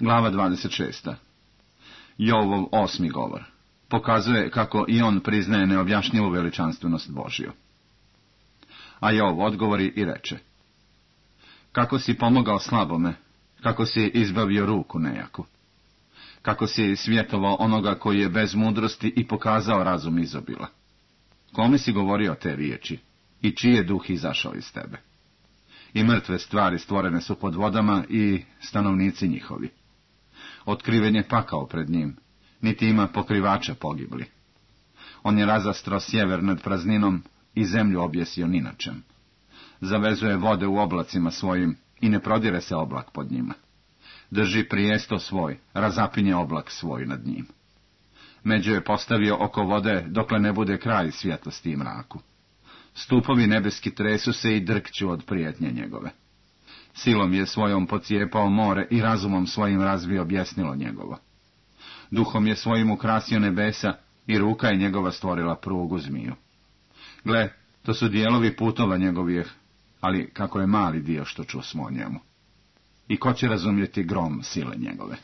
Glava 26. Jovov 8. govor pokazuje kako i on priznaje neobjašnjivu veličanstvenost Božju. A Jov odgovori i reče: kako si pomogao slabome, kako si izbavio ruku nejaku, kako si svjetovao onoga koji je bez mudrosti i pokazao razum izobila. Kome si govorio te riječi i čiji je duh izašao iz tebe? I mrtve stvari stvorene su pod vodama i stanovnici njihovi. Otkriven je pakao pred njim, niti ima pokrivača pogibli. On je razastro sjever nad prazninom i zemlju objesio ninačem. Zavezuje vode u oblacima svojim i ne prodire se oblak pod njima. Drži prijesto svoj, razapinje oblak svoj nad njim. Među je postavio oko vode dokle ne bude kraj svjetlosti i mraku. Stupovi nebeski tresu se i drkću od prijetnje njegove. Silom je svojom pocijepao more i razumom svojim razvio objesnilo njegovo. Duhom je svojim ukrasio nebesa i ruka je njegova stvorila prugu zmiju. Gle, to su dijelovi putova njegovih, ali kako je mali dio što čusmo o njemu. I ko će razumjeti grom sile njegove?